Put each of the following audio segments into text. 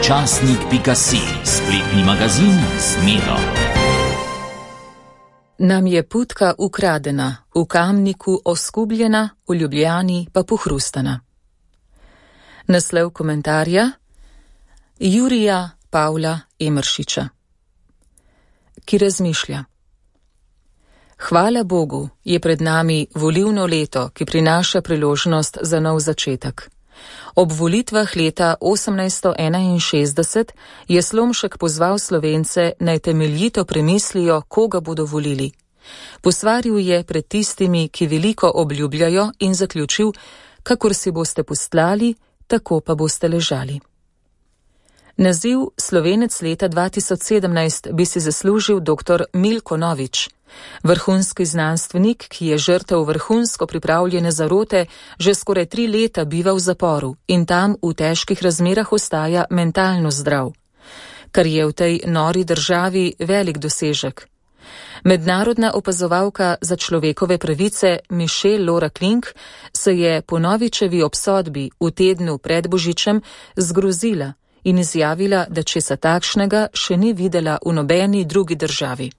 Časnik.si, spletni magazin z Medo. Nam je putka ukradena, v Kamniku oskubljena, v Ljubljani pa pohrustana. Naslov komentarja Jurija Pavla Emeršiča, ki razmišlja. Hvala Bogu, je pred nami volilno leto, ki prinaša priložnost za nov začetek. Ob volitvah leta 1861 je Slomšek pozval Slovence, naj temeljito premislijo, koga bodo volili. Posvaril je pred tistimi, ki veliko obljubljajo, in zaključil, kakor si boste postlali, tako pa boste ležali. Naziv Slovenec leta 2017 bi si zaslužil dr. Milko Novič, vrhunski znanstvenik, ki je žrtev vrhunsko pripravljene zarote, že skoraj 3 leta biva v zaporu in tam v težkih razmerah ostaja mentalno zdrav, kar je v tej nori državi velik dosežek. Mednarodna opazovalka za človekove pravice Michelle Laura Klink se je po Novičevi obsodbi v tednu pred Božičem zgrozila in izjavila, da česa takšnega še ni videla v nobeni drugi državi.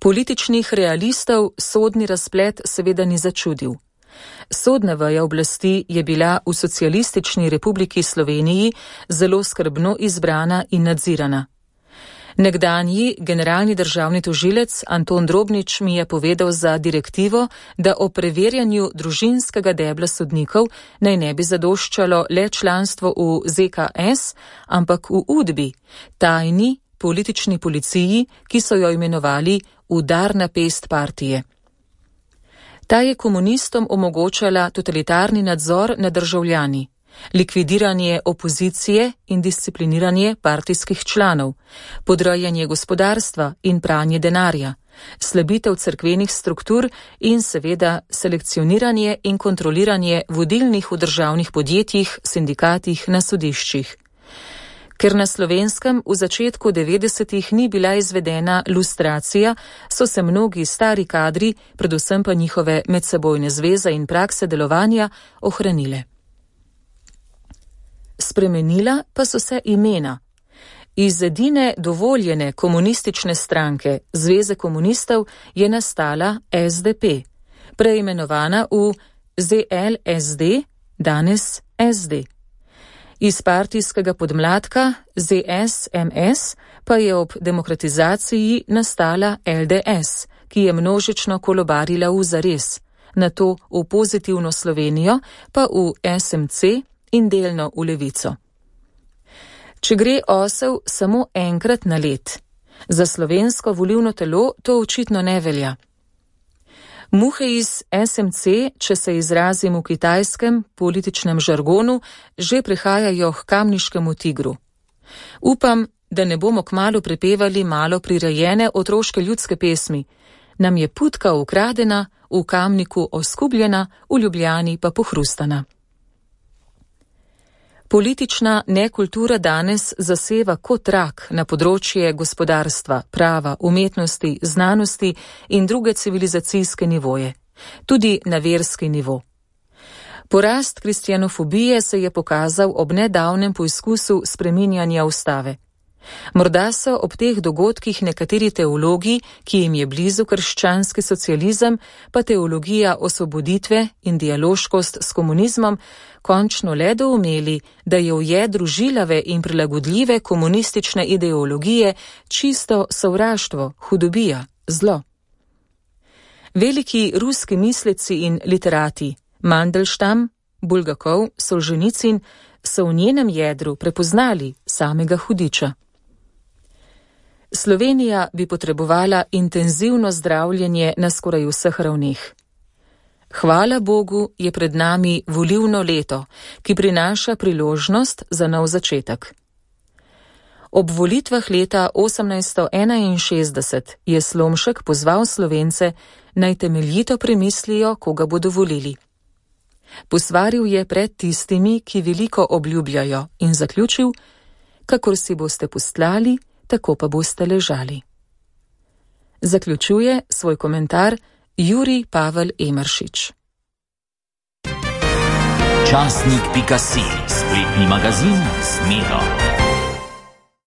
Političnih realistov sodni razplet seveda ni začudil. Sodna veja oblasti je bila v Socialistični republiki Sloveniji zelo skrbno izbrana in nadzirana. Nekdanji generalni državni tožilec Anton Drobnič mi je povedal za direktivo, da o preverjanju družinskega debla sodnikov naj ne bi zadoščalo le članstvo v ZKS, ampak v UDBI, tajni politični policiji, ki so jo imenovali udarna pest partije. Ta je komunistom omogočala totalitarni nadzor nad državljani, likvidiranje opozicije in discipliniranje partijskih članov, podrejanje gospodarstva in pranje denarja, slabitev cerkvenih struktur in seveda selekcioniranje in kontroliranje vodilnih v državnih podjetjih, sindikatih, na sodiščih. Ker na Slovenskem v začetku 90-ih ni bila izvedena lustracija, so se mnogi stari kadri, predvsem pa njihove medsebojne zveze in prakse delovanja, ohranile. Spremenila pa so se imena. Iz edine dovoljene komunistične stranke, Zveze komunistov, je nastala SDP, preimenovana v ZLSD, danes SD. Iz partijskega podmladka ZSMS pa je ob demokratizaciji nastala LDS, ki je množično kolobarila v zares, nato v pozitivno Slovenijo, pa v SMC in delno v Levico. Če gre osel samo enkrat na let, za slovensko volilno telo to očitno ne velja. Muhe iz SMC, če se izrazim v kitajskem političnem žargonu, že prihajajo k kamniškemu tigru. Upam, da ne bomo kmalu prepevali malo prirejene otroške ljudske pesmi. Nam je putka ukradena, v Kamniku oskubljena, v Ljubljani pa pohrustana. Politična nekultura danes zaseva kot rak na področje gospodarstva, prava, umetnosti, znanosti in druge civilizacijske nivoje, tudi na verski nivo. Porast kristjanofobije se je pokazal ob nedavnem poizkusu spreminjanja ustave. Morda so ob teh dogodkih nekateri teologi, ki jim je blizu krščanski socializem, pa teologija osvoboditve in dialoškost s komunizmom, končno le doumeli, da je v jedru žilave in prilagodljive komunistične ideologije čisto sovraštvo, hudobija, zlo. Veliki ruski misleci in literati, Mandelstam, Bulgakov, Solženicin, so v njenem jedru prepoznali samega hudiča. Slovenija bi potrebovala intenzivno zdravljenje na skoraj vseh ravneh. Hvala Bogu, je pred nami volilno leto, ki prinaša priložnost za nov začetek. Ob volitvah leta 1861 je Slomšek pozval Slovence, naj temeljito premislijo, koga bodo volili. Posvaril je pred tistimi, ki veliko obljubljajo, in zaključil, kakor si boste postlali, tako pa boste ležali. Zaključuje svoj komentar Jurij Pavel Emeršič. Časnik.si Spletni magazin Zmedo.